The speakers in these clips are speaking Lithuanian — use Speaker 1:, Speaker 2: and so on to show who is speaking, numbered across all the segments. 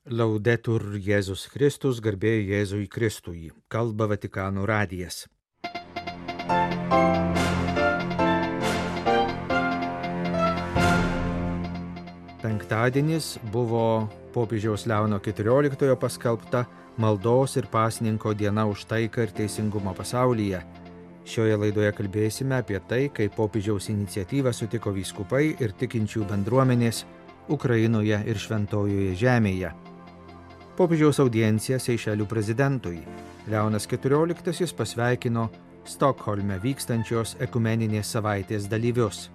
Speaker 1: Laudetur Jėzus Kristus, garbė Jėzui Kristui, kalba Vatikano radijas. Penktadienis buvo popiežiaus Leono XIV paskelbta maldos ir pasninko diena už taiką ir teisingumą pasaulyje. Šioje laidoje kalbėsime apie tai, kaip popiežiaus iniciatyvą sutiko vyskupai ir tikinčių bendruomenės Ukrainoje ir Šventojoje žemėje. Popiežiaus audiencija Seišelių prezidentui. Leonas XIV pasveikino Stokholme vykstančios ekumeninės savaitės dalyvius.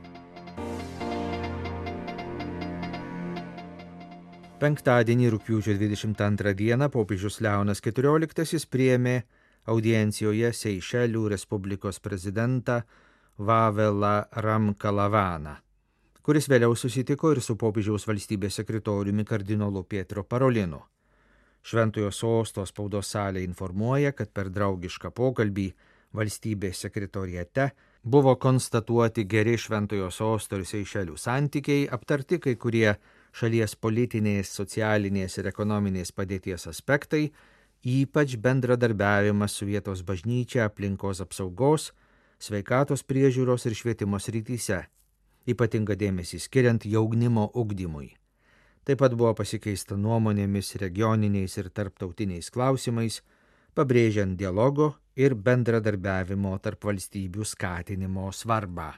Speaker 1: Penktadienį rugpjūčio 22 dieną popiežius Leonas XIV priėmė audiencijoje Seišelių Respublikos prezidentą Vavelą Ramkalavaną, kuris vėliau susitiko ir su popiežiaus valstybės sekretoriumi kardinolu Pietro Parolinu. Šventojo sosto spaudos salė informuoja, kad per draugišką pokalbį valstybės sekretoriate buvo konstatuoti geri Šventojo sosto ir Seišelių santykiai, aptarti kai kurie šalies politinės, socialinės ir ekonominės padėties aspektai, ypač bendradarbiavimas su vietos bažnyčia aplinkos apsaugos, sveikatos priežiūros ir švietimo srityse, ypatinga dėmesį skiriant jaunimo ugdymui. Taip pat buvo pasikeista nuomonėmis regioniniais ir tarptautiniais klausimais, pabrėžiant dialogo ir bendradarbiavimo tarp valstybių skatinimo svarbą.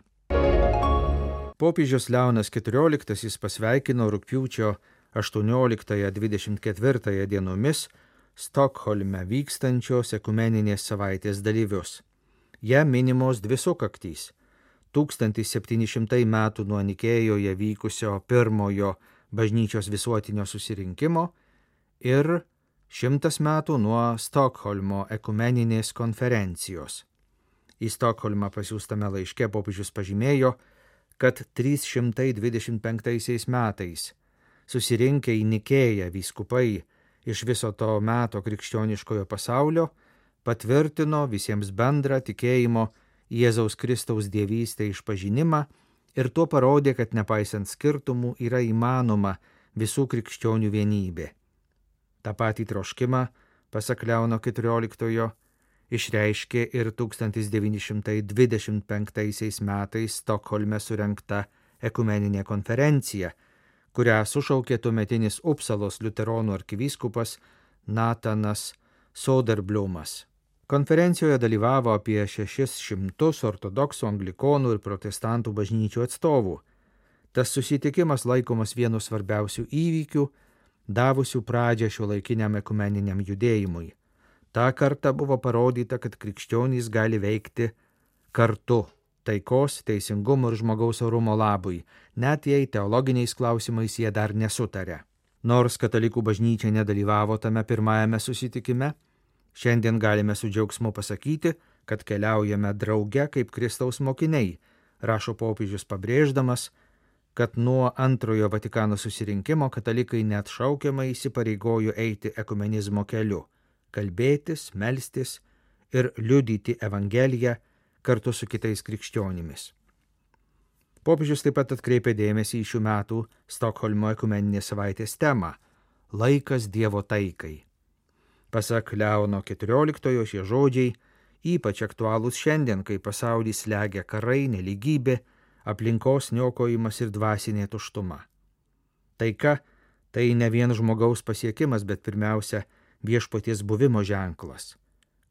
Speaker 1: Popiežius Leonas XIV pasveikino rugpjūčio 18-24 dienomis Stokholme vykstančios ekumeninės savaitės dalyvius. Ja minimos dvi sukaktys: 1700 metų nuo Nikėjoje vykusio pirmojo bažnyčios visuotinio susirinkimo ir 100 metų nuo Stokholmo ekumeninės konferencijos. Į Stokholmą pasiųstame laiške popiežius pažymėjo, kad 325 metais susirinkę į Nikėją vyskupai iš viso to meto krikščioniškojo pasaulio patvirtino visiems bendrą tikėjimo Jėzaus Kristaus dievystę išpažinimą ir tuo parodė, kad nepaisant skirtumų yra įmanoma visų krikščionių vienybė. Ta patį troškimą, pasak Leono XIV, išreiškė ir 1925 metais Stokholme surengta ekumeninė konferencija, kurią sušaukė tuometinis Upsalos liuteronų arkivyskupas Natanas Soderblumas. Konferencijoje dalyvavo apie 600 ortodoksų, anglikonų ir protestantų bažnyčių atstovų. Tas susitikimas laikomas vienu svarbiausių įvykių, davusių pradžią šiuolaikiniam ekumeniniam judėjimui. Ta kartą buvo parodyta, kad krikščionys gali veikti kartu taikos, teisingumo ir žmogaus orumo labui, net jei teologiniais klausimais jie dar nesutaria. Nors katalikų bažnyčia nedalyvavo tame pirmajame susitikime, šiandien galime su džiaugsmu pasakyti, kad keliaujame drauge kaip Kristaus mokiniai, rašo popiežius pabrėždamas, kad nuo antrojo Vatikano susirinkimo katalikai net šaukiamai įsipareigojo eiti ekumenizmo keliu, kalbėtis, melstis ir liudyti Evangeliją kartu su kitais krikščionimis. Popiežius taip pat atkreipė dėmesį į šių metų Stokholmo ekumeninės savaitės temą – laikas Dievo taikai. Pasak Leono XIV šie žodžiai ypač aktualūs šiandien, kai pasaulį slegia karai, nelygybė, aplinkos niokojimas ir dvasinė tuštuma. Taika tai ne vien žmogaus pasiekimas, bet pirmiausia viešpaties buvimo ženklas.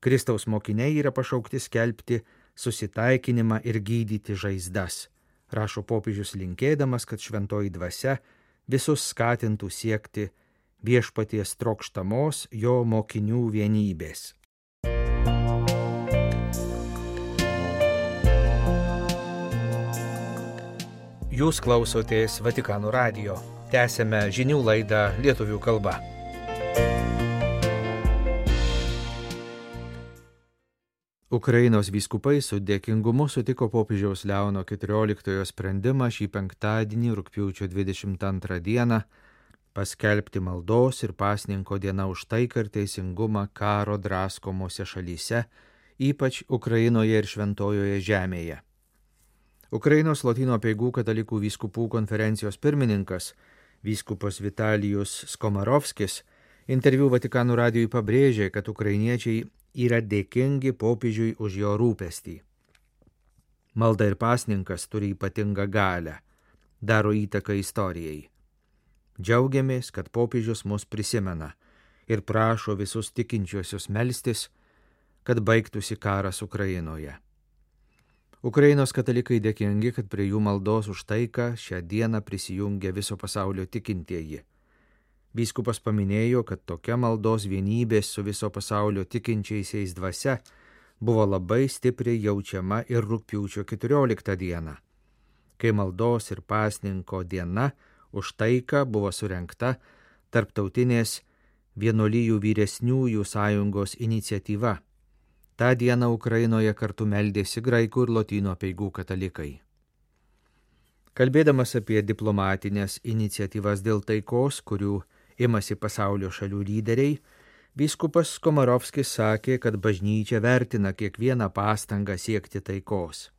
Speaker 1: Kristaus mokiniai yra pašaukti skelbti susitaikinimą ir gydyti žaizdas, rašo popiežius linkėdamas, kad šventoji dvasia visus skatintų siekti viešpaties trokštamos jo mokinių vienybės. Jūs klausotės Vatikano radijo. Tęsiame žinių laidą lietuvių kalba. Ukrainos vyskupai su dėkingumu sutiko popiežiaus Leono XIV sprendimą šį penktadienį rugpjūčio 22 dieną paskelbti maldos ir pasninko diena už taiką ir teisingumą karo draskomose šalyse, ypač Ukrainoje ir Šventojoje žemėje. Ukrainos Lotynų apeigų katalikų vyskupų konferencijos pirmininkas, vyskupas Vitalijus Skomarovskis, Interviu Vatikano radijui pabrėžė, kad ukrainiečiai yra dėkingi popiežiui už jo rūpestį. Malda ir pasninkas turi ypatingą galią, daro įtaką istorijai. Džiaugiamės, kad popiežius mus prisimena ir prašo visus tikinčiuosius melstis, kad baigtųsi karas Ukrainoje. Ukrainos katalikai dėkingi, kad prie jų maldos už taiką šią dieną prisijungia viso pasaulio tikintieji. Vyskupas paminėjo, kad tokia maldos vienybės su viso pasaulio tikinčiaisiais dvasia buvo labai stipriai jaučiama ir rugpjūčio 14 dieną, kai maldos ir pasninko diena už taiką buvo surengta Tarptautinės vienuolijų vyresniųjų sąjungos iniciatyva. Ta diena Ukrainoje kartu meldėsi graikų ir lotynų apeigų katalikai. Kalbėdamas apie diplomatinės iniciatyvas dėl taikos, kurių imasi pasaulio šalių lyderiai, vyskupas Komarovskis sakė, kad bažnyčia vertina kiekvieną pastangą siekti taikos.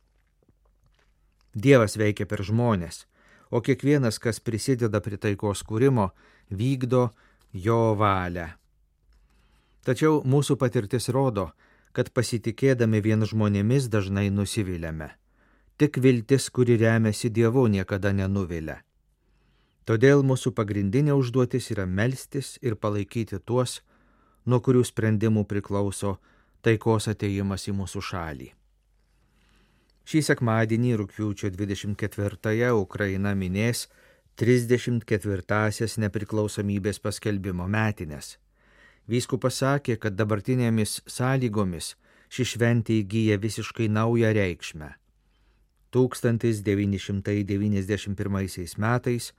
Speaker 1: Dievas veikia per žmones, o kiekvienas, kas prisideda prie taikos kūrimo, vykdo jo valią. Tačiau mūsų patirtis rodo, kad pasitikėdami vien žmonėmis dažnai nusiviliame. Tik viltis, kuri remiasi Dievu, niekada nenuvilia. Todėl mūsų pagrindinė užduotis yra melstis ir palaikyti tuos, nuo kurių sprendimų priklauso taikos atėjimas į mūsų šalį. Šį sekmadienį rugpjūčio 24-ąją Ukraina minės 34-asias nepriklausomybės paskelbimo metines. Vyskupas sakė, kad dabartinėmis sąlygomis ši šventė įgyja visiškai naują reikšmę. 1991 metais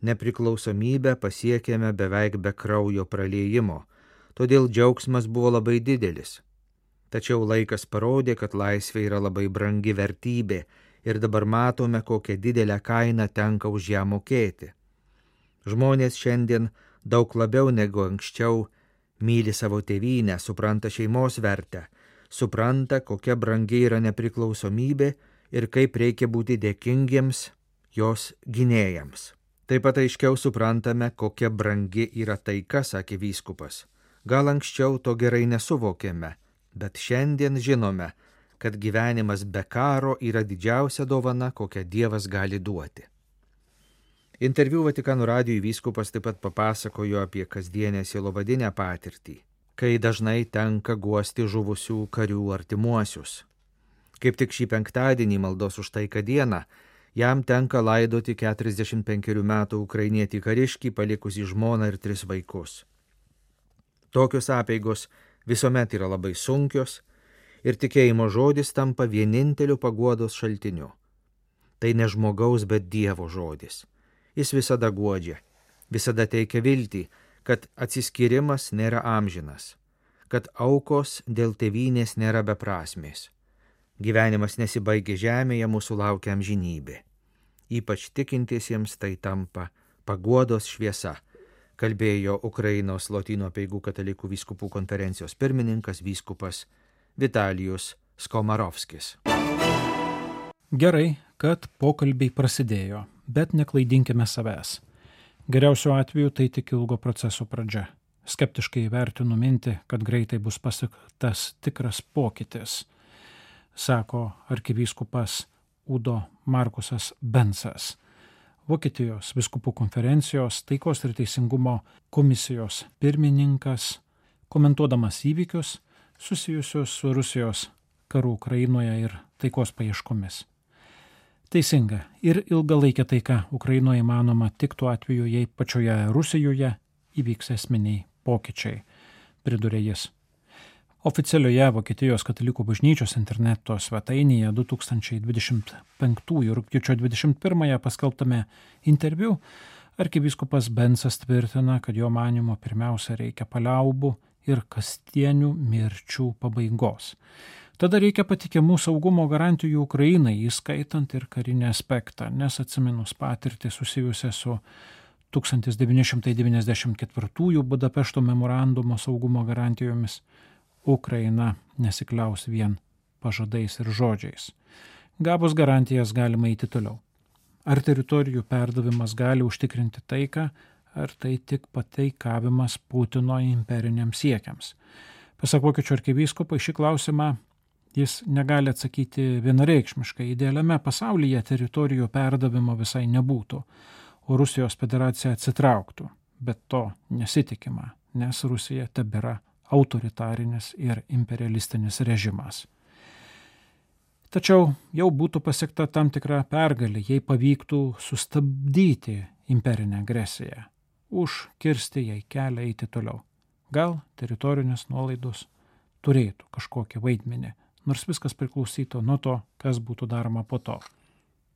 Speaker 1: nepriklausomybę pasiekėme beveik be kraujo praliejimo, todėl džiaugsmas buvo labai didelis. Tačiau laikas parodė, kad laisvė yra labai brangi vertybė ir dabar matome, kokią didelę kainą tenka už ją mokėti. Žmonės šiandien daug labiau negu anksčiau myli savo tėvynę, supranta šeimos vertę, supranta, kokia brangi yra nepriklausomybė ir kaip reikia būti dėkingiems jos gynėjams. Taip pat aiškiau suprantame, kokia brangi yra taika, sakė vyskupas. Gal anksčiau to gerai nesuvokėme, bet šiandien žinome, kad gyvenimas be karo yra didžiausia dovana, kokią Dievas gali duoti. Interviu Vatikano radijui vyskupas taip pat papasakojo apie kasdienę sielovadinę patirtį, kai dažnai tenka guosti žuvusių karių artimuosius. Kaip tik šį penktadienį maldos už taiką dieną jam tenka laidoti 45 metų ukrainietį kariškį, palikusį žmoną ir 3 vaikus. Tokios apeigos visuomet yra labai sunkios ir tikėjimo žodis tampa vieninteliu paguodos šaltiniu. Tai ne žmogaus, bet Dievo žodis. Jis visada guodžia, visada teikia viltį, kad atsiskyrimas nėra amžinas, kad aukos dėl tėvynės nėra beprasmės. Gyvenimas nesibaigia žemėje, mūsų laukia amžinybė. Ypač tikintiesiems tai tampa paguodos šviesa, kalbėjo Ukrainos lotynų apeigų katalikų vyskupų konferencijos pirmininkas vyskupas Vitalijus Skomarovskis.
Speaker 2: Gerai, kad pokalbiai prasidėjo, bet neklaidinkime savęs. Geriausiu atveju tai tik ilgo proceso pradžia. Skeptiškai vertinu mintį, kad greitai bus pasiektas tikras pokytis, sako arkivyskupas Udo Markusas Bensas, Vokietijos vyskupų konferencijos taikos ir teisingumo komisijos pirmininkas, komentuodamas įvykius susijusius su Rusijos karu Ukrainoje ir taikos paieškomis. Teisinga ir ilgalaikė taika Ukrainoje įmanoma tik tuo atveju, jei pačioje Rusijoje įvyks esminiai pokyčiai, pridūrė jis. Oficialioje Vokietijos katalikų bažnyčios interneto svetainėje 2025 rugpjūčio 21 paskelbtame interviu arkivyskupas Bensas tvirtina, kad jo manymu pirmiausia reikia paliaubų ir kasdienių mirčių pabaigos. Tada reikia patikimų saugumo garantijų Ukrainai, įskaitant ir karinį aspektą, nes atsiminus patirtį susijusią su 1994 Budapešto memorandumo saugumo garantijomis, Ukraina nesikliaus vien pažadais ir žodžiais. Gavus garantijas galima eiti toliau. Ar teritorijų perdavimas gali užtikrinti taiką, ar tai tik pateikavimas Putino imperiniams siekiams. Pasak Vokiečių arkivyskupo, šį klausimą jis negali atsakyti vienareikšmiškai. Idealiame pasaulyje teritorijų perdavimo visai nebūtų, o Rusijos federacija atsitrauktų. Bet to nesitikima, nes Rusija tebėra autoritarinis ir imperialistinis režimas. Tačiau jau būtų pasiekta tam tikra pergalė, jei pavyktų sustabdyti imperinę agresiją, užkirsti jai kelią eiti toliau. Gal teritorinės nuolaidos turėtų kažkokį vaidmenį, nors viskas priklausytų nuo to, kas būtų daroma po to.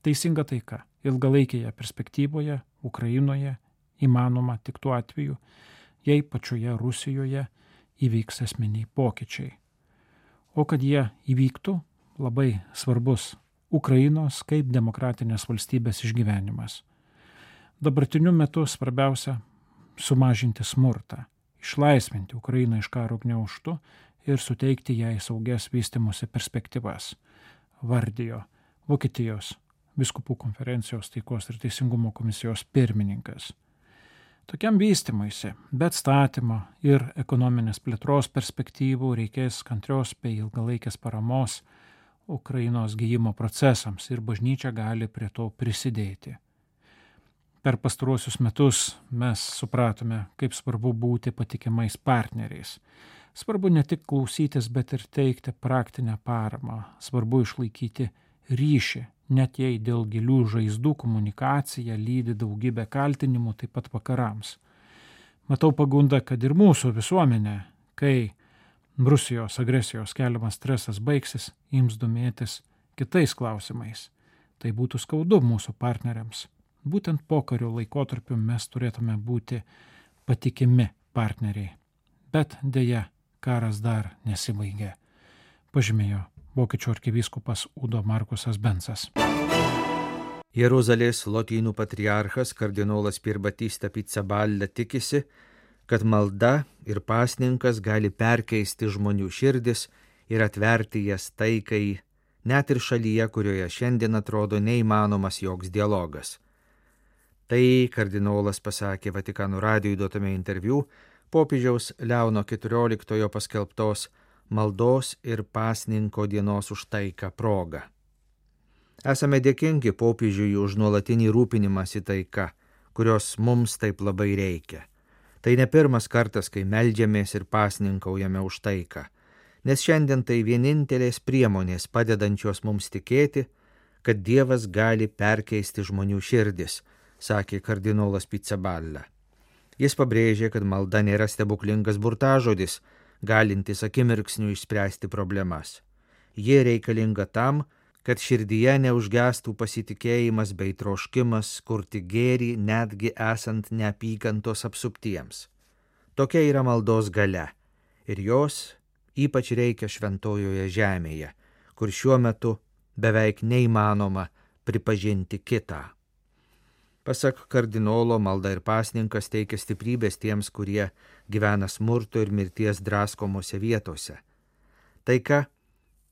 Speaker 2: Teisinga taika ilgalaikėje perspektyvoje Ukrainoje įmanoma tik tuo atveju, jei pačioje Rusijoje įvyks esminiai pokyčiai. O kad jie įvyktų, labai svarbus Ukrainos kaip demokratinės valstybės išgyvenimas. Dabartiniu metu svarbiausia sumažinti smurtą, išlaisvinti Ukrainą iš karo gniaužtų ir suteikti jai saugias vystymosi perspektyvas, vardijo Vokietijos Vyskupų konferencijos taikos ir teisingumo komisijos pirmininkas. Tokiam vystymuisi, bet statymo ir ekonominės plėtros perspektyvų reikės kantrios bei ilgalaikės paramos Ukrainos gijimo procesams ir bažnyčia gali prie to prisidėti. Per pastaruosius metus mes supratome, kaip svarbu būti patikimais partneriais. Svarbu ne tik klausytis, bet ir teikti praktinę paramą. Svarbu išlaikyti ryšį, net jei dėl gilių žaizdų komunikacija lydi daugybę kaltinimų taip pat vakarams. Matau pagundą, kad ir mūsų visuomenė, kai Rusijos agresijos keliamas stresas baigsis, ims domėtis kitais klausimais. Tai būtų skaudu mūsų partneriams. Būtent pokario laikotarpiu mes turėtume būti patikimi partneriai. Bet deja, karas dar nesibaigė, pažymėjo Vokiečių arkivyskupas Udo Markusas Bensas.
Speaker 1: Jeruzalės lotynų patriarchas kardinolas Pier Battista Pizzaballa tikisi, kad malda ir pasninkas gali perkeisti žmonių širdis ir atverti jas taikai, net ir šalyje, kurioje šiandien atrodo neįmanomas joks dialogas. Tai kardinolas pasakė Vatikano radijui duotame interviu popiežiaus Leono XIV paskelbtos maldos ir pasninko dienos už taiką proga. Esame dėkingi popiežiui už nuolatinį rūpinimąsi taika, kurios mums taip labai reikia. Tai ne pirmas kartas, kai meldžiamės ir pasninkaujame už taiką, nes šiandien tai vienintelės priemonės padedančios mums tikėti, kad Dievas gali perkeisti žmonių širdis, sakė kardinolas Pizzaballa. Jis pabrėžė, kad malda nėra stebuklingas burtažodis, galintis akimirksniu išspręsti problemas. Jie reikalinga tam, kad širdyje neužgestų pasitikėjimas bei troškimas kurti gėrį netgi esant neapykantos apsuptiems. Tokia yra maldos galia ir jos ypač reikia šventojoje žemėje, kur šiuo metu beveik neįmanoma pripažinti kitą. Pasak kardinolo, malda ir pasninkas teikia stiprybės tiems, kurie gyvena smurto ir mirties draskomose vietose. Taika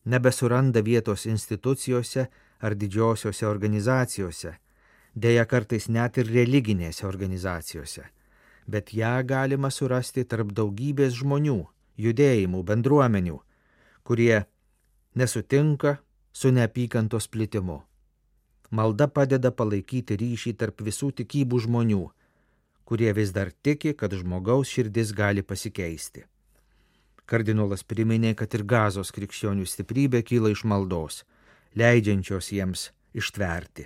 Speaker 1: nebesuranda vietos institucijose ar didžiosiose organizacijose, deja kartais net ir religinėse organizacijose, bet ją galima surasti tarp daugybės žmonių, judėjimų, bendruomenių, kurie nesutinka su neapykantos plitimu. Malda padeda palaikyti ryšį tarp visų tikybų žmonių, kurie vis dar tiki, kad žmogaus širdis gali pasikeisti. Kardinolas priminė, kad ir Gazos krikščionių stiprybė kyla iš maldos, leidžiančios jiems ištverti.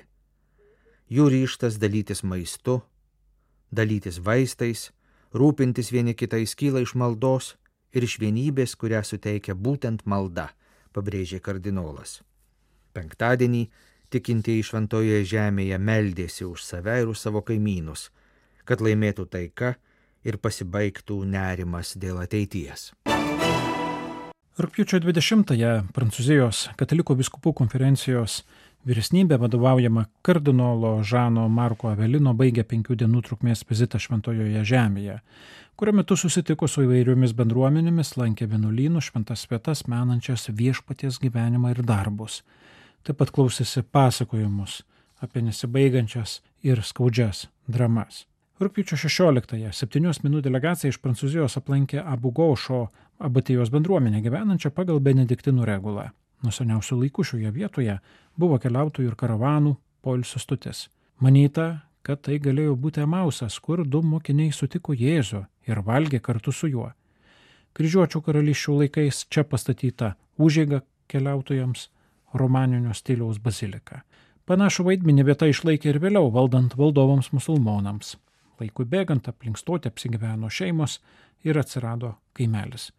Speaker 1: Jų ryžtas dalytis maistu, dalytis vaistais, rūpintis vieni kitais kyla iš maldos ir iš vienybės, kurią suteikia būtent malda, pabrėžė kardinolas. Penktadienį tikintieji šventojoje žemėje meldėsi už save ir už savo kaimynus, kad laimėtų taika ir pasibaigtų nerimas dėl ateities.
Speaker 2: Rugpjūčio 20-ąją Prancūzijos katalikų vyskupų konferencijos vyresnybė vadovaujama kardinolo Žano Marko Avelino baigė 5 dienų trukmės vizitą šventojoje žemėje, kurio metu susitiko su įvairiomis bendruomenėmis, lankė vienuolynus, šventas vietas menančias viešpaties gyvenimą ir darbus. Taip pat klausėsi pasakojimus apie nesibaigiančias ir skaudžias dramas. Rugpjūčio 16-ąją 7 asmenų delegacija iš Prancūzijos aplankė Abu Gaušo abatijos bendruomenę gyvenančią pagal benediktinų regulą. Nuo seniausių laikų šioje vietoje buvo keliautojų ir karavanų poilsio stotis. Manyta, kad tai galėjo būti Emausas, kur 2 mokiniai sutiko Jėzų ir valgė kartu su juo. Kryžiuočių karalysčių laikais čia pastatyta užeiga keliautojams, romaninio stiliaus bazilika. Panašų vaidmenį vieta išlaikė ir vėliau valdant valdovams musulmonams. Laikui bėgant aplink stotį apsigyveno šeimos ir atsirado kaimelis.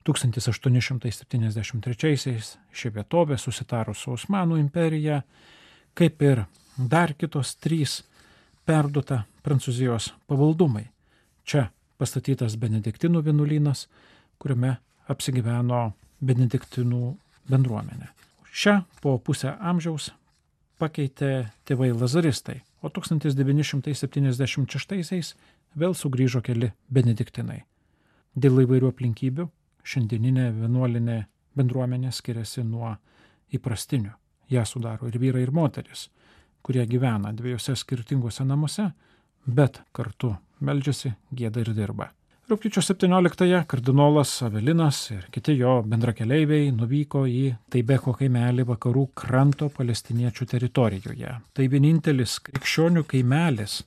Speaker 2: 1873-aisiais ši vietovė susitarus su Osmanų imperija, kaip ir dar kitos 3, perduota Prancūzijos pavaldumai. Čia pastatytas benediktinų vienuolynas, kuriame apsigyveno benediktinų bendruomenė. Šią po pusę amžiaus pakeitė tėvai lazaristai, o 1976-aisiais vėl sugrįžo keli benediktinai. Dėl įvairių aplinkybių šiandieninė vienuolinė bendruomenė skiriasi nuo įprastinių. Ją sudaro ir vyrai, ir moteris, kurie gyvena 2 skirtingose namuose, bet kartu meldžiasi, gieda ir dirba. Rugpjūčio 17-ąją kardinolas Avelinas ir kiti jo bendrakeleiviai nuvyko į Taibeko kaimelį vakarų kranto palestiniečių teritorijoje. Tai vienintelis krikščionių kaimelis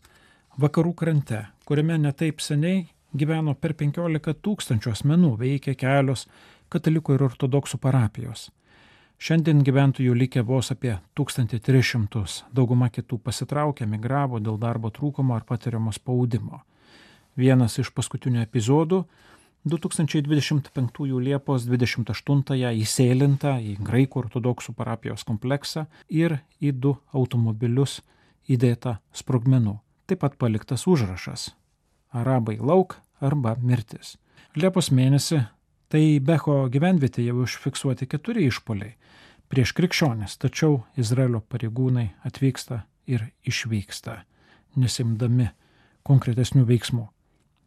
Speaker 2: vakarų krante, kuriame netaip seniai gyveno per 15 000 asmenų, veikė kelios katalikų ir ortodoksų parapijos. Šiandien gyventojų likę vos apie 1300, dauguma kitų pasitraukė, migravo dėl darbo trūkumo ar patiriamo spaudimo. Vienas iš paskutinių epizodų 2025 Liepos 28-ąją įsėlinta į graikų ortodoksų parapijos kompleksą ir į 2 automobilius įdėta sprogmenų. Taip pat paliktas užrašas Arabai lauk arba mirtis. Liepos mėnesį Taibeko gyvenvietėje užfiksuoti 4 išpuoliai prieš krikščionis, tačiau Izraelio pareigūnai atvyksta ir išvyksta, nesimdami konkretesnių veiksmų.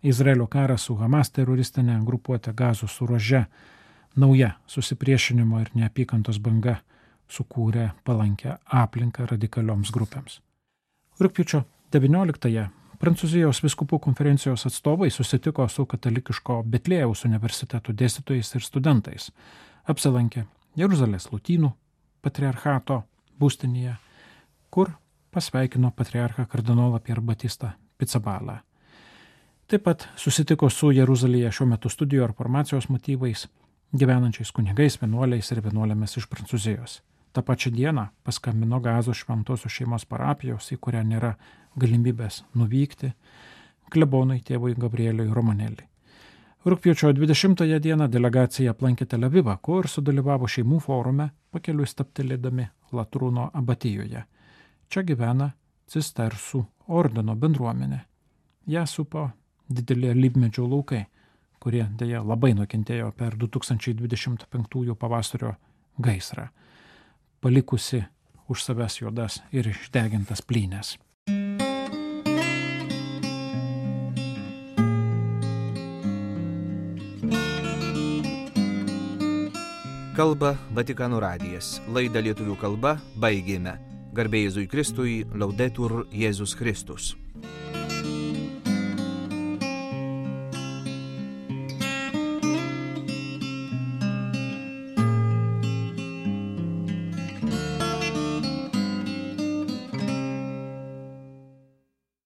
Speaker 2: Izraelio karas su Hamas teroristinė grupuotė Gazos ruože, nauja susipriešinimo ir neapykantos banga sukūrė palankę aplinką radikalioms grupėms. Rugpjūčio 19-ąją Prancūzijos vyskupų konferencijos atstovai susitiko su katalikiško Betlėjaus universiteto dėstytojais ir studentais. Apsilankė Jeruzalės lotynų patriarchato būstinėje, kur pasveikino patriarchą kardinolą Pierre Batistą Picabalą. Taip pat susitiko su Jeruzalėje šiuo metu studijų ar formacijos motyvais gyvenančiais kunigais, vienuoliais ir vienuolėmis iš Prancūzijos. Ta pačia diena paskambino Gazos šventosios šeimos parapijos, į kurią nėra galimybės nuvykti, klebonui tėvui Gabrieliui Romanelli. Rugpjūčio 20 dieną delegacija aplankė Tel Avivą, kur sudalyvavo šeimų forume, pakeliui stabtelėdami Latrūno abatijoje. Čia gyvena Cistersų ordino bendruomenė. Ją supo dideli alyvmedžių laukai, kurie dėja labai nukentėjo per 2025 pavasario gaisrą, palikusi už savęs juodas ir išdegintas plynės.
Speaker 1: Kalba Vatikano radijas. Laidą lietuvių kalba baigėme. Garbė Jėzui Kristui, Laudetur Jėzus Kristus.